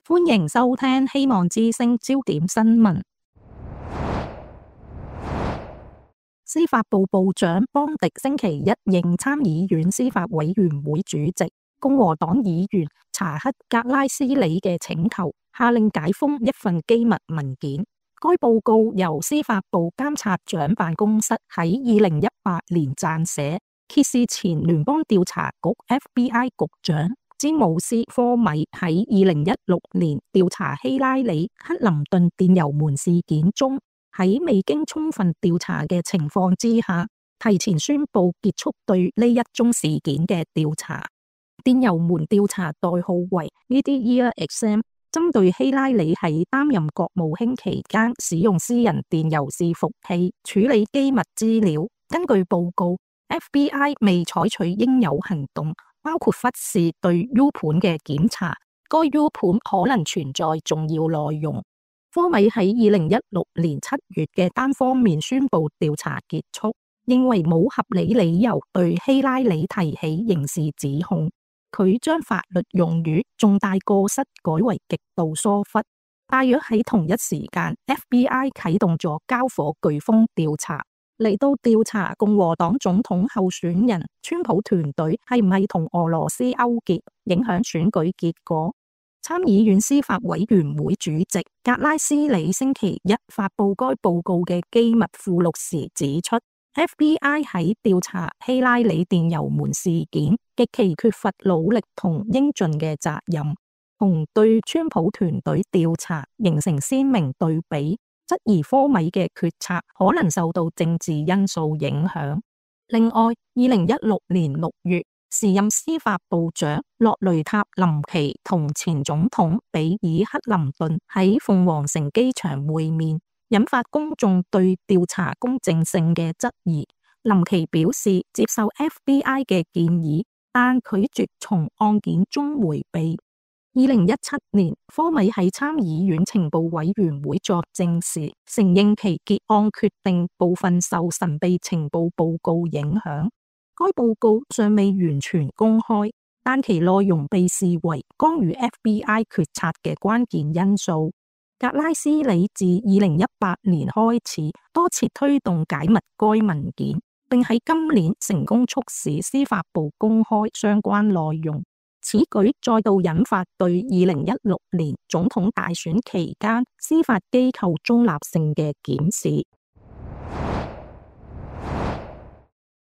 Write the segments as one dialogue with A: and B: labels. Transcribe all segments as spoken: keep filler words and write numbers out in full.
A: 歡迎收聽希望之聲焦點新聞。司法部部長邦迪星期一應參議院司法委員會主席共和黨議員查克格拉斯里嘅請求，下令解封一份機密文件。該報告由司法部監察長辦公室喺二零一八年撰寫，揭示前聯邦調查局 F B I 局長詹姆斯科米喺二零一六年調查希拉里克林頓電郵門事件中，喺未經充分調查嘅情況之下，提前宣布結束對呢一宗事件嘅調查。電郵門調查代號為 Media Exam， 針對希拉里喺擔任國務卿期間使用私人電郵伺服器處理機密資料。根據報告， F B I 未採取應有行動，包括忽視對 U 盤嘅檢查，該 U 盤可能存在重要內容。科米喺二零一六年七月嘅單方面宣布調查結束，認為冇合理理由對希拉里提起刑事指控。佢將法律用語重大過失改為極度疏忽。大約喺同一時間 ，F B I 啟動咗交火颶風調查，嚟到調查共和黨總統候選人川普團隊係唔係同俄羅斯勾結，影響選舉結果。參議院司法委員會主席格拉斯里星期一發布該報告嘅機密附錄時指出， F B I 喺調查希拉里電郵門事件極其缺乏努力同應盡嘅責任，同對川普團隊調查形成鮮明對比，質疑科米嘅決策可能受到政治因素影響。另外，二零一六年六月，時任司法部長洛雷塔林奇同前總統比爾克林頓喺鳳凰城機場會面，引發公眾對調查公正性嘅質疑。林奇表示接受 F B I 嘅建議，但拒絕從案件中迴避。二零一七年，科米喺參議院情報委員會作證時，承認其結案決定部分受神秘情報報告影響。該報告尚未完全公開，但其內容被視為干預 F B I 決策嘅關鍵因素。格拉斯里自二零一八年開始多次推動解密該文件，並喺今年成功促使司法部公開相關內容。此舉再度引發對二零一六年總統大選期間司法機構中立性嘅檢視。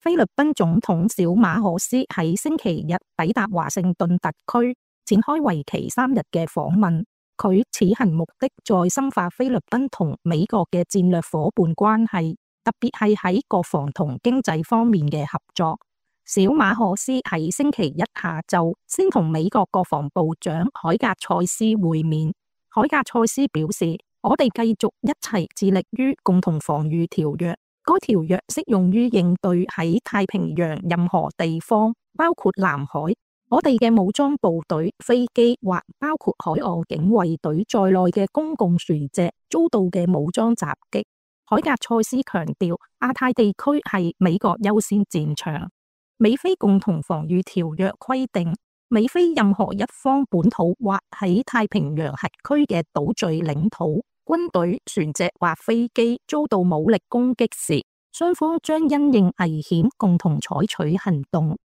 A: 菲律賓總統小馬可斯喺星期日抵達華盛頓特區，展開為期三日嘅訪問。佢此行目的在深化菲律賓同美國嘅戰略夥伴關係，特別係喺國防同經濟方面嘅合作。小馬可斯喺星期一下晝先同美國國防部長海格塞斯會面。海格塞斯表示，我哋繼續一齊致力於共同防禦條約。該條約適用於應對喺太平洋任何地方，包括南海，我哋嘅武裝部隊、飛機或包括海岸警衛隊在內嘅公共船隻遭到嘅武裝襲擊。海格塞斯強調，亞太地區係美國優先戰場。美菲共同防禦條約規定，美菲任何一方本土或喺太平洋轄區嘅島嶼領土、軍隊、船隻或飛機遭到武力攻擊時，雙方將因應危險共同採取行動。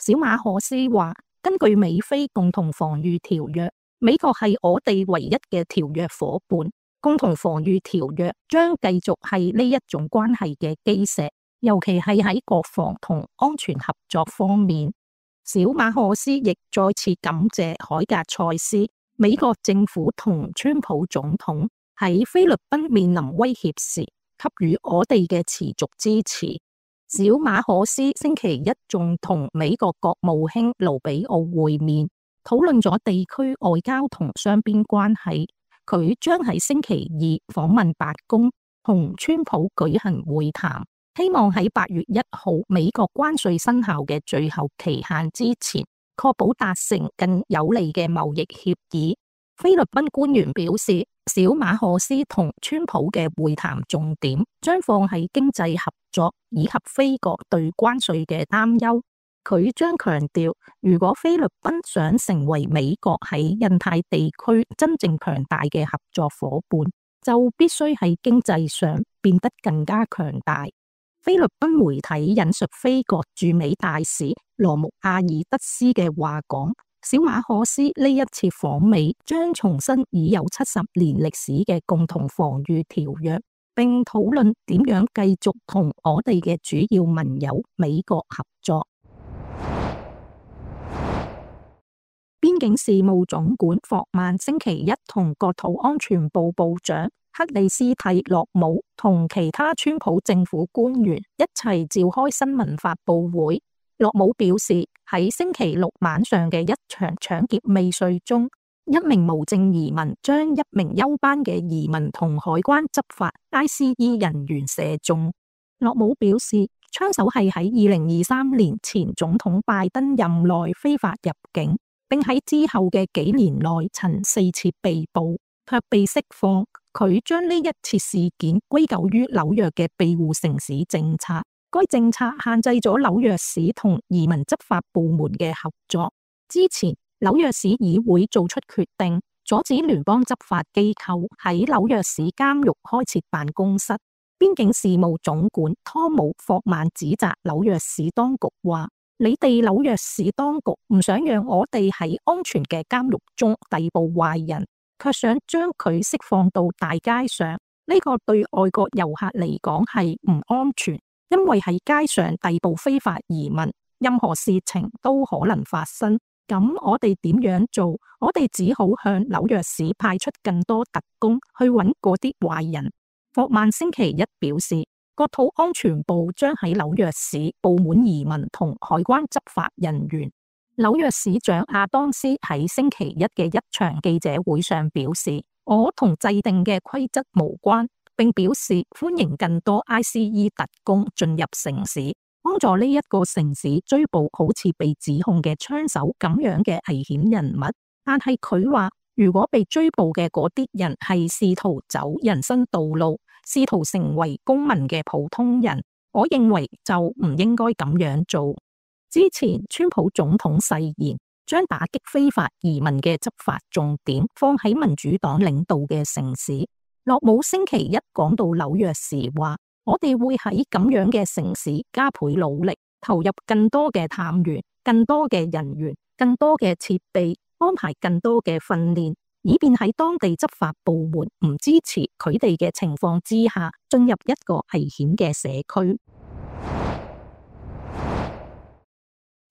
A: 小馬可斯話，根據美菲共同防禦條約，美國係我哋唯一嘅條約夥伴，共同防禦條約將繼續係呢一種關係嘅基石。尤其係喺國防同安全合作方面。小馬可斯亦再次感謝海格塞斯、美國政府同川普總統喺菲律賓面臨威脅時給予我哋嘅持續支持。小馬可斯星期一仲同美國國務卿盧比奧會面，討論咗地區外交同雙邊關係。佢將喺星期二訪問白宮，同川普舉行會談。希望喺八月一號美國關稅生效嘅最後期限之前，確保達成更有利嘅貿易協議。菲律賓官員表示，小馬可斯同川普嘅會談重點將放喺經濟合作以及菲國對關稅嘅擔憂。佢將強調，如果菲律賓想成為美國喺印太地區真正強大嘅合作夥伴，就必須喺經濟上變得更加強大。菲律賓媒體引述菲國駐美大使羅穆阿爾德斯嘅話講，小馬可斯呢一次訪美將重申已有七十年歷史嘅共同防禦條約，並討論點樣繼續同我哋嘅主要盟友美國合作。邊境事務總管霍曼星期一同國土安全部部長克里斯蒂洛姆同其他川普政府官員一齊召開新聞發佈會。洛姆表示，喺星期六晚上嘅一場搶劫未遂中，一名無證移民將一名休班嘅移民同海關執法 I C E 人員射中。洛姆表示，槍手係喺二零二三年前總統拜登任內非法入境，並喺之後嘅幾年內曾四次被捕，卻被釋放。佢將呢一次事件歸咎於紐約嘅庇護城市政策，該政策限制咗紐約市同移民執法部門嘅合作。之前紐約市議會做出決定，阻止聯邦執法機構喺紐約市監獄開設辦公室。邊境事務總管湯姆霍曼指責紐約市當局話，你哋紐約市當局唔想讓我哋喺安全嘅監獄中逮捕壞人，卻想將佢釋放到大街上。呢個對外國遊客嚟講係唔安全，因為喺街上逮捕非法移民，任何事情都可能發生。咁我哋點樣做？我哋只好向紐約市派出更多特工去揾嗰啲壞人。霍曼星期一表示，國土安全部將喺紐約市布滿移民同海關執法人員。紐約市長亞當斯喺星期一嘅一場記者會上表示，我同制定嘅規則無關，並表示歡迎更多 I C E 特工進入城市，幫助呢一個城市追捕好似被指控嘅槍手咁樣嘅危險人物。但係佢話，如果被追捕嘅嗰啲人係試圖走人生道路，試圖成為公民嘅普通人，我認為就唔應該咁樣做。之前川普總統誓言將打擊非法移民嘅執法重點放喺民主黨領導嘅城市。洛姆星期一講到紐約時話，我哋會喺咁樣嘅城市加倍努力，投入更多嘅探員、更多嘅人員、更多嘅設備，安排更多嘅訓練，以便喺當地執法部門唔支持佢哋嘅情況之下，進入一個危險嘅社區。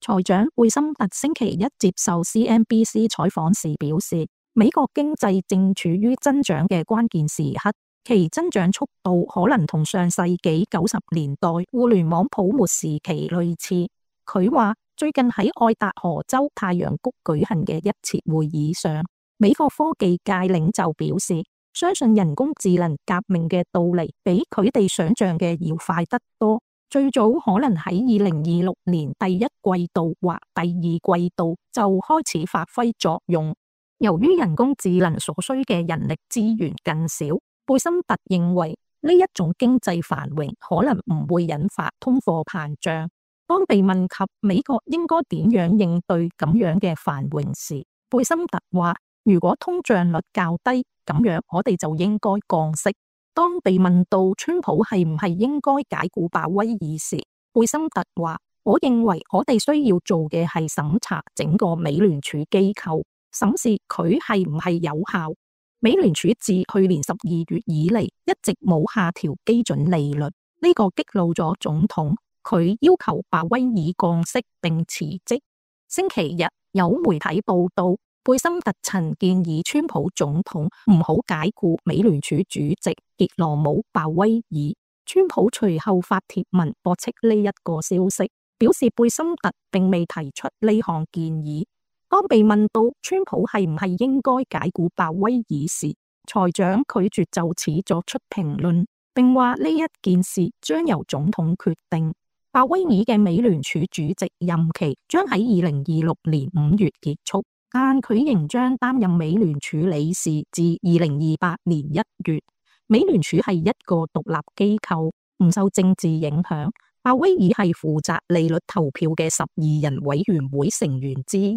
A: 財長貝森特星期一接受 C N B C 採訪時表示，美國經濟正處於增長嘅關鍵時刻，其增長速度可能同上世紀九十年代互聯網泡沫時期類似。佢話，最近喺愛達荷州太陽谷舉行嘅一次會議上，美國科技界領袖表示，相信人工智能革命嘅到嚟比佢哋想象嘅要快得多，最早可能喺二零二六年第一季度或第二季度就開始發揮作用。由於人工智能所需嘅人力資源更少，貝森特認為呢一種經濟繁榮可能唔會引發通貨膨脹。當被問及美國應該點樣應對咁樣嘅繁榮時，貝森特話，如果通脹率較低，咁樣我哋就應該降息。當被問到川普係唔係應該解雇鮑威爾時，貝森特話，我認為我哋需要做嘅係審查整個美聯儲機構，審視佢係唔係有效。美聯儲自去年十二月以嚟一直冇下調基準利率，呢個激怒咗總統，佢要求鮑威爾降息並辭職。星期日有媒體報道，貝森特曾建議川普總統唔好解雇美聯儲主席傑羅姆鮑威爾。川普隨後發帖文駁斥呢一個消息，表示貝森特並未提出呢項建議。當被問到川普係唔係應該解雇鮑威爾時，財長拒絕就此作出評論，並話呢一件事將由總統決定。鮑威爾嘅美聯儲主席任期將喺二零二六年五月結束，但佢仍將擔任美聯儲理事至二零二八年一月。美聯儲係一個獨立機構，唔受政治影響，鮑威爾係負責利率投票嘅十二人委員會成員之一。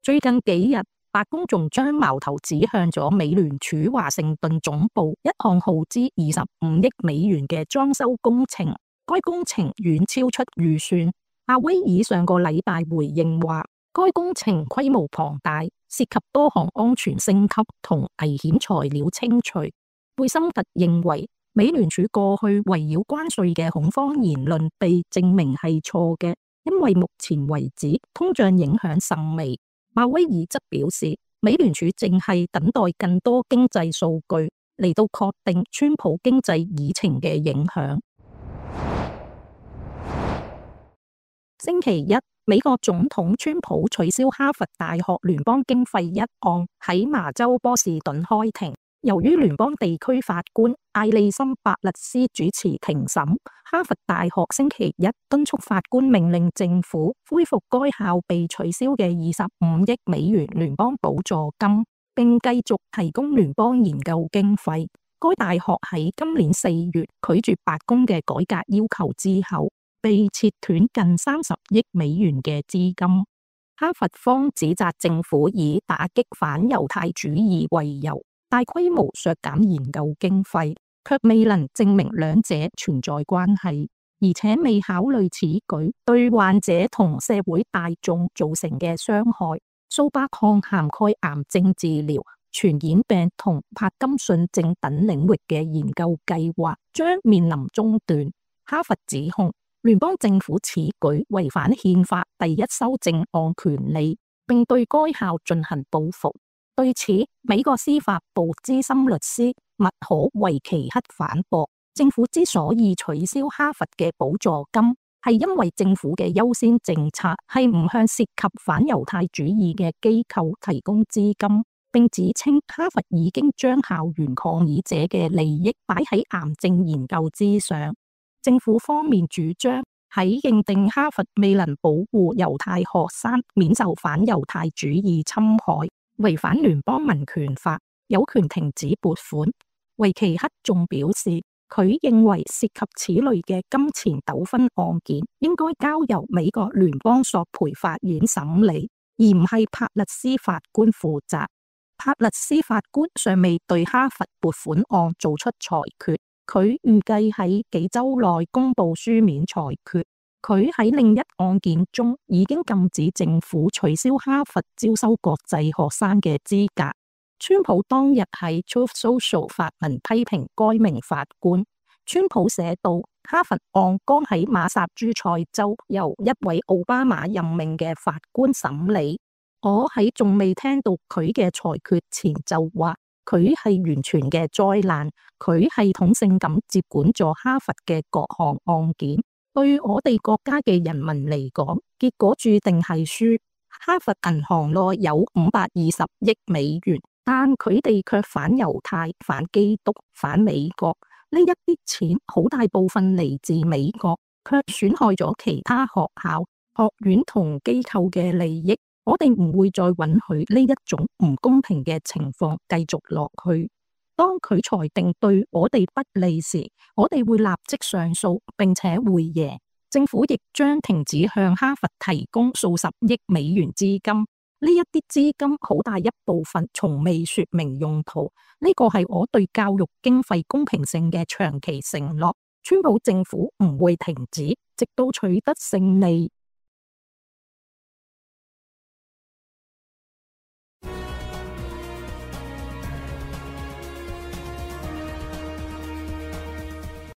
A: 最近幾日，白宮仲將矛頭指向咗美聯儲華盛頓總部一項耗資二十五億美元嘅裝修工程，該工程遠超出預算。鮑威爾上個禮拜回應話，該工程規模龐大，涉及多項安全升級同危險材料清除。貝森特認為，美聯儲過去圍繞關稅嘅恐慌言論被證明係錯嘅，因為目前為止通脹影響甚微。鮑威爾則表示，美聯儲正係等待更多經濟數據嚟到確定川普經濟議程嘅影響。星期一，美國總統川普取消哈佛大學聯邦經費一案喺麻州波士頓開庭。由於聯邦地區法官艾利森伯勒斯主持庭審，哈佛大學星期一敦促法官命令政府恢復該校被取消嘅二十五億美元聯邦補助金，並繼續提供聯邦研究經費。該大學喺今年四月拒絕白宮嘅改革要求之後，被切斷近三十億美元嘅資金。哈佛方指責政府以打擊反猶太主義為由，大規模削減研究經費，卻未能證明兩者存在關係，而且未考慮此舉對患者同社會大眾造成嘅傷害。數百項涵蓋癌症治療、傳染病同帕金遜症等領域嘅研究計劃將面臨中斷。哈佛指控聯邦政府此舉違反憲法第一修正案權利，並對該校進行報復。對此，美國司法部資深律師麥可維奇克反駁，政府之所以取消哈佛嘅補助金，係因為政府嘅優先政策係唔向涉及反猶太主義嘅機構提供資金，並指稱哈佛已經將校園抗議者嘅利益擺喺癌症研究之上。政府方面主張喺認定哈佛未能保護猶太學生免受反猶太主義侵害，違反聯邦民權法，有權停止撥款。維奇克仲表示，佢認為涉及此類嘅金錢糾紛案件應該交由美國聯邦索賠法院審理，而唔係帕勒斯法官負責。帕勒斯法官尚未對哈佛撥款案做出裁決，佢預計喺幾週內公布書面裁決。佢喺另一案件中已經禁止政府取消哈佛招收國際學生嘅資格。川普當日喺 Truth Social 發文批評該名法官。川普寫道，哈佛案剛喺馬薩諸塞州由一位奧巴馬任命嘅法官審理。我喺仲未聽到佢嘅裁決前就話佢係完全嘅災難，佢系統性咁接管咗哈佛嘅各項案件。對我哋國家嘅人民嚟講，結果注定係輸。哈佛銀行內有五百二十億美元，但佢哋卻反猶太、反基督、反美國。呢一啲錢好大部分嚟自美國，卻損害咗其他學校、學院同機構嘅利益。我哋唔會再允許呢一種唔公平嘅情況繼續落去。當佢裁定對我哋不利時，我哋會立即上訴，並且會贏。政府亦將停止向哈佛提供數十億美元資金。呢一啲資金好大一部分從未說明用途。呢個係我對教育經費公平性嘅長期承諾。川普政府唔會停止，直到取得勝利。